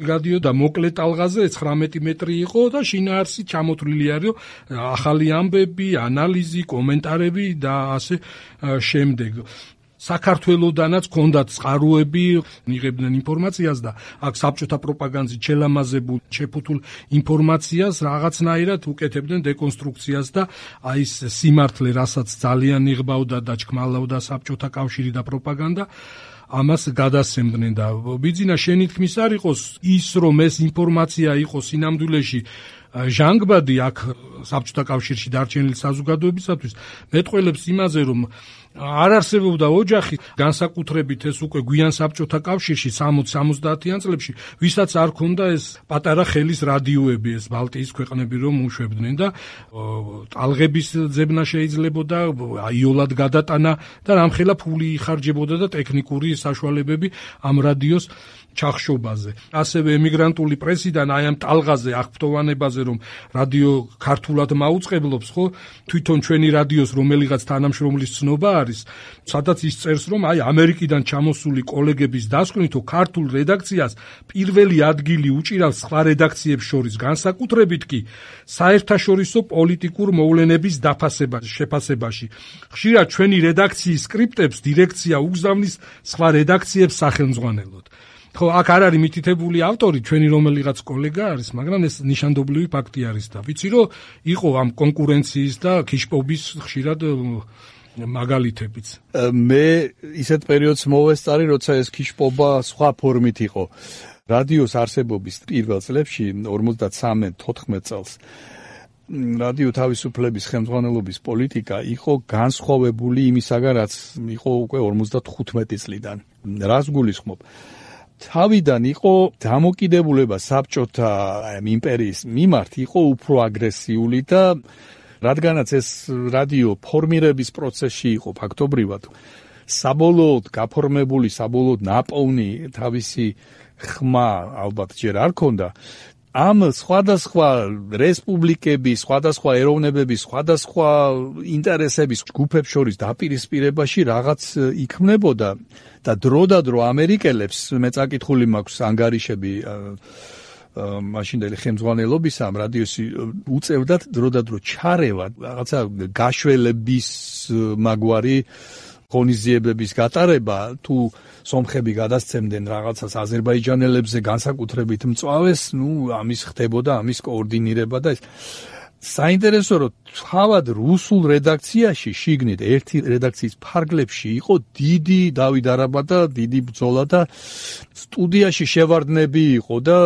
გადიოდა მოკლე ტალღაზე 19 მეტრი იყო და შინაარსი ჩამოთვლილი არის ახალი ამბები, ანალიზი, კომენტარები და ასე შემდეგ. საქართველოდანაც ჰქონდათ წყაროები, იღებდნენ ინფორმაციას და აქ საბჭოთა პროპაგანდით შელამაზებულ, შეფუთულ ინფორმაციას რაღაცნაირად უკეთებდნენ დეკონსტრუქციას და აი ეს სიმართლე, რასაც ძალიან იღბავდა და ჩქმალავდა საბჭოთა კავშირი და პროპაგანდა, ამას გადასცემდნენ და ბიძინა შენი თქმის არ იყოს ის, რომ ეს ინფორმაცია იყოს სინამდვილეში ჟანგბადი აქ საბჭოთა კავშირში დარჩენილი საზოგადოებისათვის, მეტყველებს იმაზე, რომ არ არსებობდა ოჯახი, განსაკუთრებით ეს უკვე გვიან საბჭოთა კავშირში 60-70-იან წლებში, ვისაც არ ქონდა ეს პატარა ხელის რადიოები, ეს ბალტიის ქვეყნები რომ უშვებდნენ და ტალღების ძებნა შეიძლებოდა, აიოლად გადატანა და რამხელა ფული იხარჯებოდა და ტექნიკური საშუალებები ამ რადიოს ჩახშობაზე. ასევე ემიგრანტული პრესიდან აი ამ ტალღაზე აღფრთოვანებაზე, რომ რადიო ქართულად მაუწყებლობს, ხო, თვითონ ჩვენი რადიოს რომელიღაც თანამშრომლის ცნობა არის, სადაც ის წერს, რომ აი ამერიკიდან ჩამოსული კოლეგების დასკვნითო ქართულ რედაქციას პირველი ადგილი უჭირავს სხვა რედაქციებს შორის, განსაკუთრებით კი საერთაშორისო პოლიტიკურ მოვლენების შეფასებაში. ხშირად ჩვენი რედაქციის სკრიპტებს დირექცია უგზავნის სხვა რედაქციებს სახელმძღვანელოდ. ხო, აქ არ არის მითითებული ავტორი, ჩვენი რომელიღაც კოლეგა არის, მაგრამ ეს ნიშანდობლივი ფაქტი არის და ვიცი, რომ იყო ამ კონკურენციის და ქიშპობის ხშირად მაგალითებიც. მე ისეთ პერიოდს მოვესწარი, როცა ეს ქიშპობა სხვა ფორმით იყო. რადიოს არსებობის პირველ წლებში 53-14 წელს რადიო თავისუფლების ხელმძღვანელობის პოლიტიკა იყო განსხვავებული იმისაგან, რაც იყო უკვე 55 წლიდან. რას გულისხმობ? თავიდან იყო დამოკიდებულება საბჭოთა იმპერიის მიმართ იყო უფრო აგრესიული და რადგანაც ეს რადიო ფორმირების პროცესში იყო ფაქტობრივად საბოლოოდ გაფორმებული, საბოლოოდ ნაპოვნი თავისი ხმა ალბათ ჯერ არ ქონდა. ამ სხვადასხვა რესპუბლიკების, სხვადასხვა ეროვნებების, სხვადასხვა ინტერესების ჯგუფებს შორის დაპირისპირებაში რაღაც იქმნებოდა და დროდადრო ამერიკელებს მე წაკითხული მაქვს ანგარიშები მაშინდელი ხელმძღვანელობის ამ რადიოსი უწევდათ დროდადრო ჩარევა რაღაცა გაშველების მაგვარი ღონისძიებების გატარება თუ სომხები გადასცემდნენ რაღაცას აზერბაიჯანელებზე განსაკუთრებით მწვავეს, ამის ხდებოდა, ამის კოორდინირება და ეს საინტერესო რომ თავად რუსულ რედაქციაში შიგნით ერთი რედაქციის ფარგლებში იყო დიდი დავით არაბა და დიდი ბრძოლა და სტუდიაში შევარდნები იყო და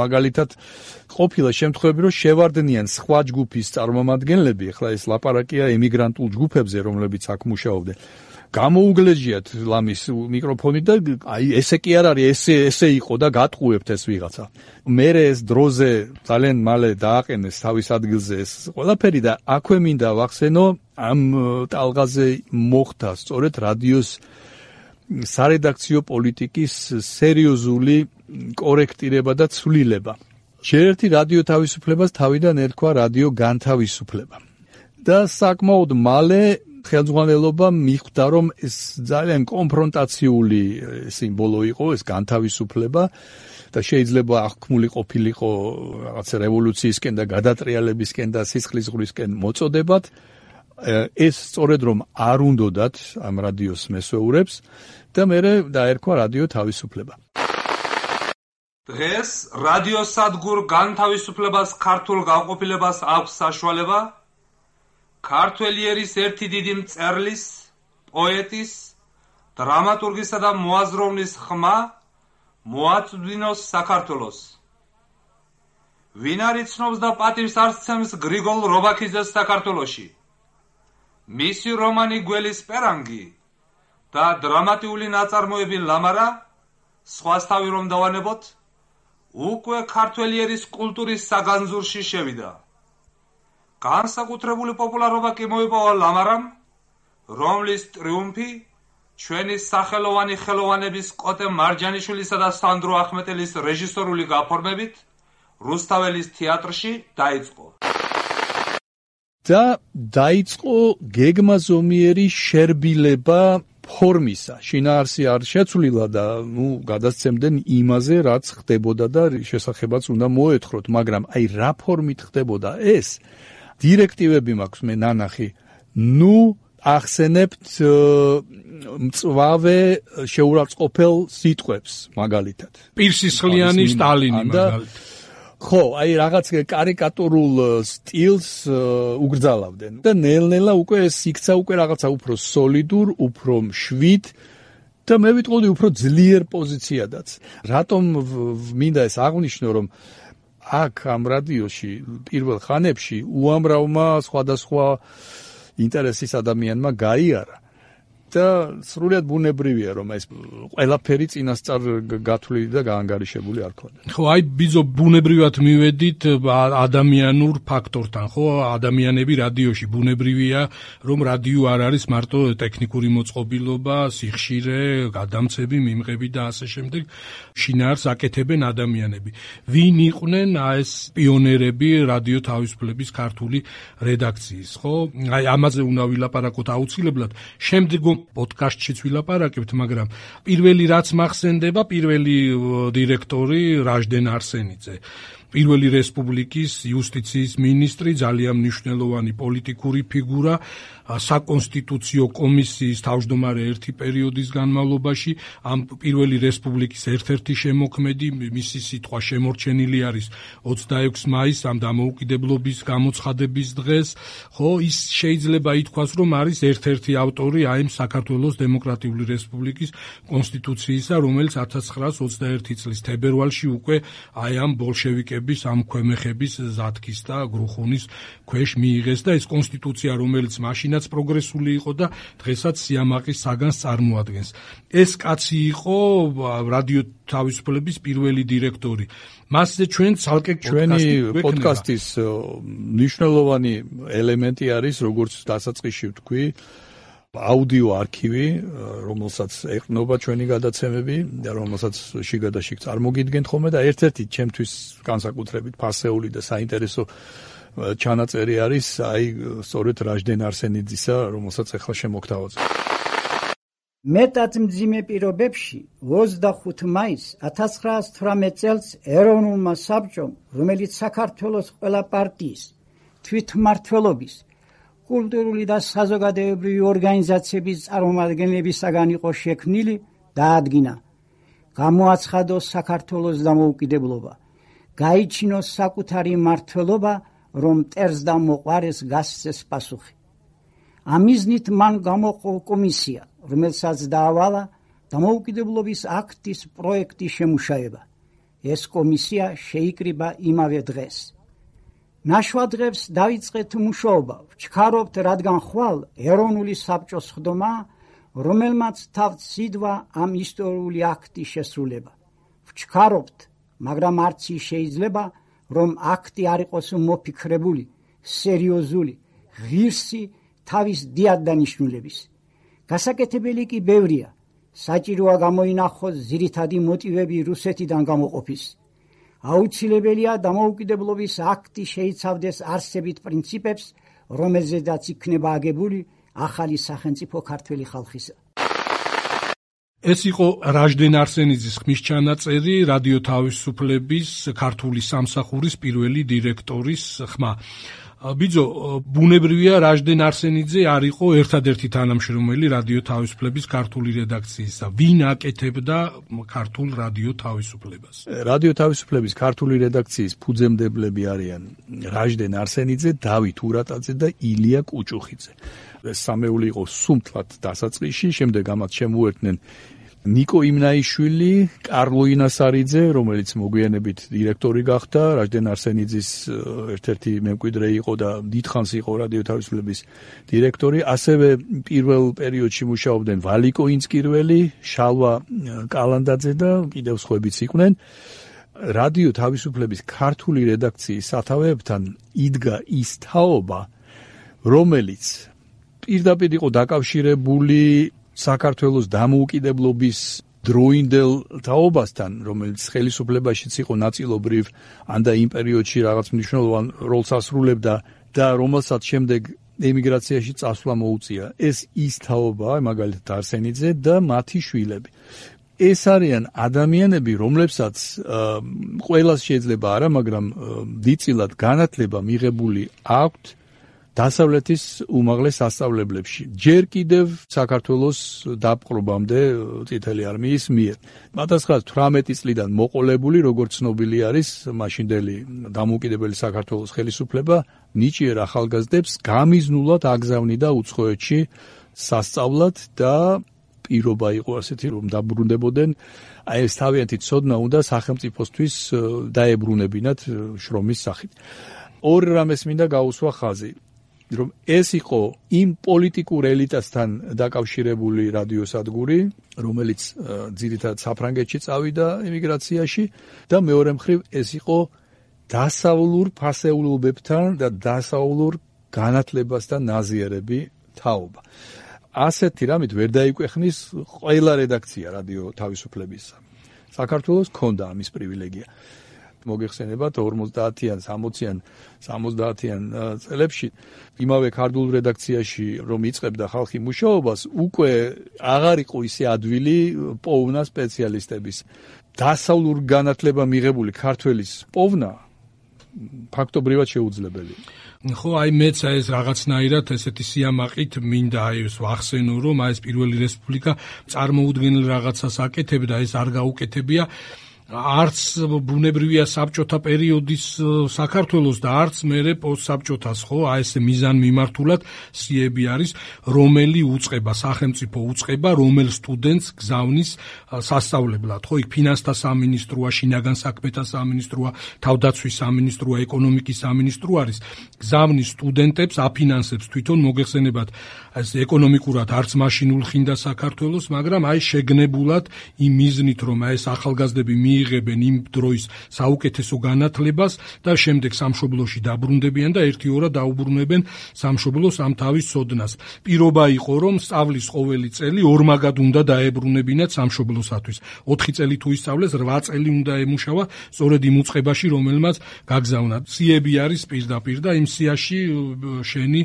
მაგალითად ყოფილა შემთხვევები რომ შევარდნიან სხვა ჯგუფის წარმომადგენლები, ახლა ეს ლაპარაკია ემიგრანტულ ჯგუფებზე, რომლებიც აქ მუშაობდნენ. გამოუგლეჯიათ ლამის მიკროფონი და აი ესე კი არ არის, ესე იყო და გატყუებთ ეს ვიღაცა. მერე ეს დროზე ძალიან მალე დააყენეს თავის ადგილზე ეს ყველაფერი და აქვე მინდა ვახსენო ამ ტალღაზე მოხდა სწორედ რადიოს სარედაქციო პოლიტიკის სერიოზული კორექტირება და ცვლილება. შეერთი რადიო თავისუფლებას თავიდან ერქვა რადიო განთავისუფლება. და საკმაოდ მალე ხელმძღვანელობა მიხვდა, რომ ეს ძალიან კონფრონტაციული სიმბოლო იყო, ეს განთავისუფლება და შეიძლება აღქმული ყოფილიყო რაღაცა რევოლუციისკენ და გადატრიალებისკენ და სისხლისღვრისკენ მოწოდებად. ეს სწორედ რომ არ უნდოდათ ამ რადიოს მესვეურებს და მერე დაერქვა რადიო თავისუფლება. დღეს რადიო სადგურ განთავისუფლებას ქართულ განყოფილებას აქვს საშუალება ქართველი ერის ერთი დიდი მწერლის, პოეტის, დრამატურგისა და მოაზროვნის ხმა მოაწვდინოს საქართველოს. ვინ არ იცნობს და პატივს არ სცემს გრიგოლ რობაქიძეს საქართველოში. მისი რომანი გველის პერანგი და დრამატიული ნაწარმოები ლამარა, სხვასთავი რომ დავანებოთ, უკვე ქართველი ერის კულტურის საგანძურში შევიდა. განსაკუთრებული პოპულარობა კი მოიპოვა ლამარამ, რომლის ტრიუმფი ჩვენი სახელოვანი ხელოვანების კოტე მარჯანიშვილისა და სანდრო ახმეტელის რეჟისორული გაფორმებით რუსთაველის თეატრში დაიწყო. და დაიწყო გეგმაზომიერი შერბილება ფორმისა. შინაარსი არ შეცვლილა და გადასცემდნენ იმაზე, რაც ხდებოდა და შესახებაც უნდა მოეთხროთ, მაგრამ აი რა ფორმით ხდებოდა ეს? დირექტივები მაქვს მე ნანახი. ახსენებთ მწვავე შეურაცხყოფელ სიტყვებს მაგალითად. პირსისხლიანი სტალინი მაგალითად. ხო, აი რაღაც კარიკატურულ სტილს უგრძალავდნენ და ნელ-ნელა უკვე ეს იქცა უკვე რაღაცა უფრო სოლიდურ, უფრო მშვიდ და მე ვიტყოდი უფრო ძლიერ პოზიციადაც. რატომ მინდა ეს აღვნიშნო, რომ აქ ამ რადიოში პირველ ხანებში უამრავმა სხვადასხვა ინტერესის ადამიანმა გაიარა და სრულიად ბუნებრივია, რომ ეს ყველაფერი წინასწარ გათვლილი და გაანგარიშებული არ ქონდა. ხო, აი ბიძო ბუნებრივად მივედით ადამიანურ ფაქტორთან, ხო? ადამიანები რადიოში ბუნებრივია, რომ რადიო არ არის მარტო ტექნიკური მოწყობილობა, სიხშირე, გადამცები, მიმღები და ასე შემდეგ. შინაარს აკეთებენ ადამიანები. ვინ იყვნენ ეს პიონერები რადიო თავისუფლების ქართული რედაქციის, ხო? აი ამაზე უნდა ვილაპარაკოთ აუცილებლად. შემდგომ პოდკასტშიც ვილაპარაკებთ, მაგრამ პირველი რაც მახსენდება, პირველი დირექტორი რაჟდენ არსენიძე. პირველი რესპუბლიკის იუსტიციის მინისტრი, ძალიან მნიშვნელოვანი პოლიტიკური ფიგურა, საკონსტიტუციო კომისიის თავმჯდომარე ერთი პერიოდის განმავლობაში, ამ პირველი რესპუბლიკის ერთ-ერთი შემოქმედი, მისი სიტყვა შემორჩენილი არის 26 მაისს, ამ დამოუკიდებლობის გამოცხადების დღეს, ხო, ის შეიძლება ითქვას, რომ არის ერთ-ერთი ავტორი აი ამ საქართველოს დემოკრატიული რესპუბლიკის კონსტიტუციისა, რომელიც 1921 წლის თებერვალში უკვე აი ამ ბოლშევიკების, ამ ქვემეხების ზათქის და გრუხუნის ქვეშ მიიღეს და ეს კონსტიტუცია, რომელიც მაშინაც პროგრესული იყო და დღესაც სიამაყის საგანს წარმოადგენს. ეს კაცი იყო რადიო თავისუფლების პირველი დირექტორი. მასზე ჩვენ ცალკე ჩვენი პოდკასტის მნიშვნელოვანი ელემენტი არის, როგორც დასაწყისში ვთქვი, აუდიო არქივი, რომელსაც ეყრდნობა ჩვენი გადაცემები და რომელსაც შიგადაშიგ წარმოგიდგენთ ხოლმე და ერთ-ერთი ჩემთვის განსაკუთრებით ფასეული და საინტერესო ჩანაწერი არის აი სწორედ რაჟდენ არსენიძისა, რომელსაც ახლა შემოგთავაზებ. მეტად მძიმე პირობებში 25 მაისს 1918 წელს ეროვნულმა საბჭომ, რომელიც საქართველოს ყველა პარტიის, თვითმმართველობის, კულტურული და საზოგადოებრივი ორგანიზაციების წარმომადგენლებისაგან იყო შექმნილი, დაადგინა, გამოაცხადოს საქართველოს დამოუკიდებლობა, გაიჩინოს საკუთარი მმართველობა, რომ მტერს და მოყვარეს გასცეს პასუხი. ამ მიზნით მან გამოყო კომისია, რომელსაც დაავალა დამოუკიდებლობის აქტის პროექტის შემუშავება. ეს კომისია შეიკრიბა იმავე დღეს. ნაშვადღებს დაიწყეთ მუშაობა, ვჩქარობთ, რადგან ხვალ ეროვნული საბჭოს ხდომა, რომელმაც თავთ სიდვა ამ ისტორიული აქტის შესრულება. ვჩქარობთ, მაგრამ არც ის შეიძლება, რომ აქტი არ იყოს მოფიქრებული, სერიოზული, ღირსი თავის დიადანიშნულების. გასაკეთებელი კი ბევრია. საჭიროა გამოინახოს ძირითადი მოტივები რუსეთიდან გამოყოფის. აუცილებელია დამოუკიდებლობის აქტი შეიცავდეს არსებით პრინციპებს, რომელზედაც იქნება აგებული ახალი სახელმწიფო ქართველი ხალხისა. ეს იყო რაჟდენ არსენიძის ხმისჩანაწერი რადიო თავისუფლების ქართული სამსახურის პირველი დირექტორის ხმა. ბიძო, ბუნებრივია რაჟდენ არსენიძე არ იყო ერთადერთი თანამშრომელი რადიო თავისუფლების ქართული რედაქციისა. ვინ აკეთებდა ქართულ რადიო თავისუფლებას? რადიო თავისუფლების ქართული რედაქციის ფუძემდებლები არიან რაჟდენ არსენიძე, დავით ურატაძე და ილია კუჭუხიძე. ეს სამეული იყო სუმთლად დასაწყისში, შემდეგ ამათ შემოერთნენ ნიკო იმნაიშვილი, კარლო ინასარიძე, რომელიც მოგვიანებით დირექტორი გახდა, რაჟდენ არსენიძის ერთ-ერთი მემკვიდრე იყო და დიდხანს იყო რადიო თავისუფლების დირექტორი, ასევე პირველ პერიოდში მუშაობდნენ ვალიკო ინწკირველი, შალვა კალანდაძე და კიდევ სხვაებიც იყვნენ. რადიო თავისუფლების ქართული რედაქციის სათავეებთან იდგა ის თაობა, რომელიც პირდაპირ იყო დაკავშირებული საქართველოს დამოუკიდებლობის დროინდელ თაობასთან, რომელიც ხელისუფლებაშიც იყო ნაწილობრივ, ან და იმ პერიოდში რაღაც მნიშვნელოვან როლს ასრულებდა და რომელსაც შემდეგ ემიგრაციაში წასვლა მოუწია. ეს ის თაობაა, მაგალითად არსენიძე და მათი შვილები. ეს არიან ადამიანები, რომლებსაც ყველას შეიძლება არა, მაგრამ დიდწილად განათლება მიღებული აქვთ დასავლეთის უმაღლეს სასწავლებლებში. ჯერ კიდევ საქართველოს დაპყრობამდე წითელი არმიის მიერ. 1918 წლიდან მოყოლებული, როგორც ცნობილი არის, მაშინდელი დამოუკიდებელი საქართველოს ხელისუფლება ნიჭიერ ახალგაზრდებს გამიზნულად აგზავნიდა უცხოეთში სასწავლად და პირობა იყო ასეთი, რომ დაბრუნდებოდნენ. აი ეს თავიანთი ცოდნა უნდა სახელმწიფოსთვის დაებრუნებინათ შრომის სახით. ორ რამეს მინდა გაუსვა ხაზი, რომ ეს იყო იმ პოლიტიკურ ელიტასთან დაკავშირებული რადიოსადგური, რომელიც ძირითადად საფრანგეთში წავიდა ემიგრაციაში და მეორე მხრივ ეს იყო დასავლურ ფასეულობებთან და დასავლურ განათლებასთან ნაზიარები თაობა. ასეთი რამით ვერ დაიკვეხნის ყველა რედაქცია რადიო თავისუფლებისა. საქართველოს ჰქონდა ამის პრივილეგია. მოგეხსენებათ 50-იან, 60-იან წლებში იმავე ქართულ რედაქციაში რომ იწყებდა ხალხი მუშაობას, უკვე აღარ იყო ისე ადვილი პოვნა სპეციალისტების. დასავლურ განათლება მიღებული ქართველის პოვნა ფაქტობრივად შეუძლებელი. ხო, აი მეც ეს რაღაცნაირად ესეთი სიამაყით მინდა აი ეს ვახსენო, რომ აი ეს პირველი რესპუბლიკა წარმოუდგენელ რაღაცას აკეთებდა, ეს არ გაუკეთებია. არც ბუნებრივია საბჭოთა პერიოდის საქართველოს და არც მერე პოსტსაბჭოთას, ხო, აი ეს მიზან მიმართულად სიები არის, რომელი უწყება, სახელმწიფო უწყება, რომელ სტუდენტს გზავნის სასწავლებლად, ხო, იქ ფინანსთა სამინისტროა, შინაგან საქმეთა სამინისტროა, თავდაცვის სამინისტროა, ეკონომიკის სამინისტრო არის, გზავნის სტუდენტებს, აფინანსებს თვითონ მოგეხსენებათ, ეს ეკონომიკურად არც მაშინ ულხინდა საქართველოს, მაგრამ აი შეგნებულად იმ მიზნით, რომ აი ეს ახალგაზრდები მიიღებენ იმ დროის საუკეთესო განათლებას და შემდეგ სამშობლოში დაბრუნდებიან და ერთი-ორად დაუბრუნებენ სამშობლოს ამ თავის ცოდნას. პირობა იყო, რომ სწავლის ყოველი წელი ორმაგად უნდა დაებრუნებინათ სამშობლოსათვის. 4 წელი თუ ისწავლეს, 8 წელი უნდა ემუშავა სწორედ იმ უწყებაში, რომელმაც გაგზავნა. სიები არის პირდაპირ და იმ სიაში შენი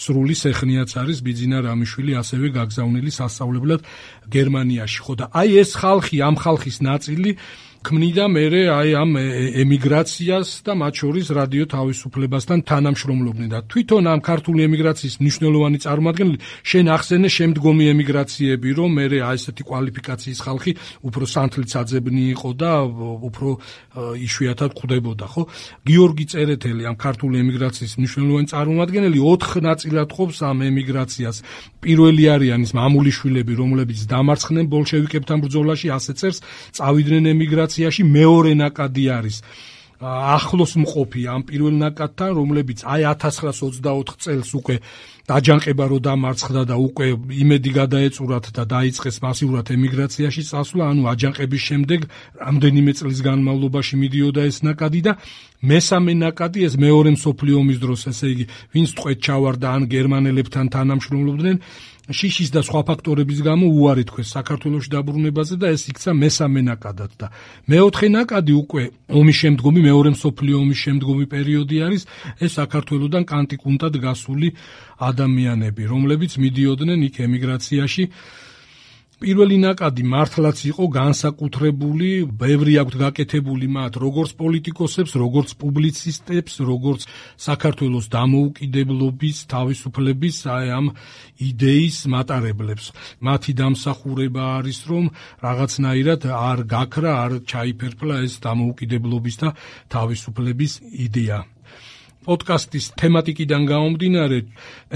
სრული სეხნიაც არის ბიძინა რამიშვილი ასევე გაგზავნილი სასწავლებლად გერმანიაში. ხო და აი ეს ხალხი, ამ ხალხის ნაწილი ქმნიდა მერე აი ამ ემიგრაციას და მათ შორის რადიო თავისუფლებასთან თანამშრომლობდნენ და თვითონ ამ ქართული ემიგრაციის მნიშვნელოვანი წარმომადგენელი შენ ახსენე შემდგომი ემიგრაციები, რომ მერე აი ესეთი კვალიფიკაციის ხალხი უფრო სანთლიცაძებნი იყო და უფრო იშვიათად ხვდებოდა, ხო? გიორგი წერეთელი ამ ქართული ემიგრაციის მნიშვნელოვანი წარმომადგენელი 4 ნაწილად ყოფს ამ ემიგრაციას. პირველი არიან ის მამულიშვილები, რომლებიც დამარცხდნენ ბოლშევიკებთან ბრძოლაში, ასე წერს, წავიდნენ ემიგრაციაში. მეორე ნაკადი არის ახლოს მყოფი ამ პირველ ნაკადთან, რომლებიც აი 1924 წელს უკვე დაჯანყება რო დამარცხდა და უკვე იმედი გადაეწურათ და დაიწყეს მასიურად ემიგრაციაში წასვლა, ანუ აჯანყების შემდეგ რამდენიმე წლის განმავლობაში მიდიოდა ეს ნაკადი და მესამე ნაკადი ეს მეორე მსოფლიო ომის დროს, ესე იგი, ვინც ტყვედ ჩავარდა ან გერმანელებთან თანამშრომლობდნენ, შიშის და სხვა ფაქტორების გამო უარი თქვეს საქართველოში დაბრუნებაზე და ეს იქცა მესამე ნაკადად და მეოთხე ნაკადი უკვე ომის შემდგომი, მეორე მსოფლიო ომის შემდგომი პერიოდი არის, ეს საქართველოდან კანტიკუნტად გასული ადამიანები, რომლებიც მიდიოდნენ იქ ემიგრაციაში. პირველი ნაკადი მართლაც იყო განსაკუთრებული, ბევრი აქვთ გაკეთებული მათ, როგორც პოლიტიკოსებს, როგორც პუბლიცისტებს, როგორც საქართველოს დამოუკიდებლობის, თავისუფლების აი ამ იდეის მატარებლებს. მათი დამსახურება არის, რომ რაღაცნაირად არ გაქრა, არ ჩაიფერფლა ეს დამოუკიდებლობის და თავისუფლების იდეა. პოდკასტის თემატიკიდან გამომდინარე,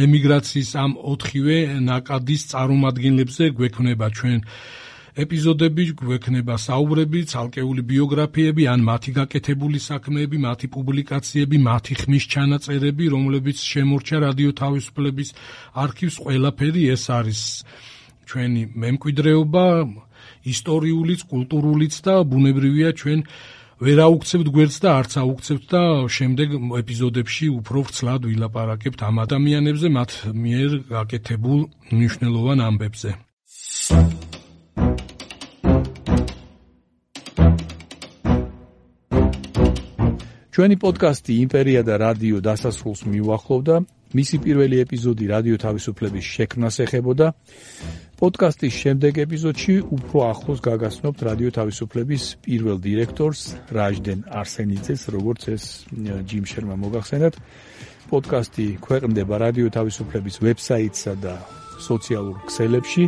ემიგრაციის ამ 4-ვე ნაკადის წარმომადგენლებზე გვექნება ჩვენ ეპიზოდები, გვექნება საუბრები, ცალკეული ბიოგრაფიები, ან მათი გაკეთებული საქმეები, მათი პუბლიკაციები, მათი ხმის ჩანაწერები, რომლებიც შემორჩა რადიო თავისუფლების არქივს. ყველაფერი ეს არის ჩვენი მემკვიდრეობა, ისტორიულიც, კულტურულიც და ბუნებრივია ჩვენ ვერ აუქცევთ გვერდს და არც აუქცევთ და შემდეგ ეპიზოდებში უფრო ვრცლად ვილაპარაკებთ ამ ადამიანებზე, მათ მიერ გაკეთებულ მნიშვნელოვან ამბებზე. ჩვენი პოდკასტი იმპერია და რადიო დასასრულს მიუახლოვდა. მისი პირველი ეპიზოდი რადიო თავისუფლების შექმნას ეხებოდა. პოდკასტის შემდეგ ეპიზოდში უფრო ახლოს გაგაცნობთ რადიო თავისუფლების პირველ დირექტორს რაჟდენ არსენიძეს, როგორც ეს ჯიმ შერმა მოგახსენათ. პოდკასტი ქვეყნდება რადიო თავისუფლების ვებსაიტსა და სოციალურ ქსელებში.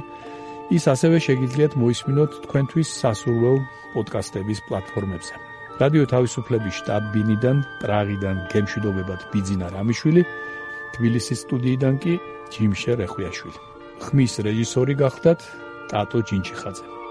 ის ასევე შეგიძლიათ მოისმინოთ თქვენთვის სასურველ პოდკასტების პლატფორმებზე. რადიო თავისუფლების შტაბ-ბინიდან, პრაღიდან გემშვიდობებათ ბიძინა რამიშვილი, თბილისის სტუდიიდან კი ჯიმ შერ ეხვიაშვილი. ხმის რეჟისორი გახდათ ტატო ჯინჩიხაძე.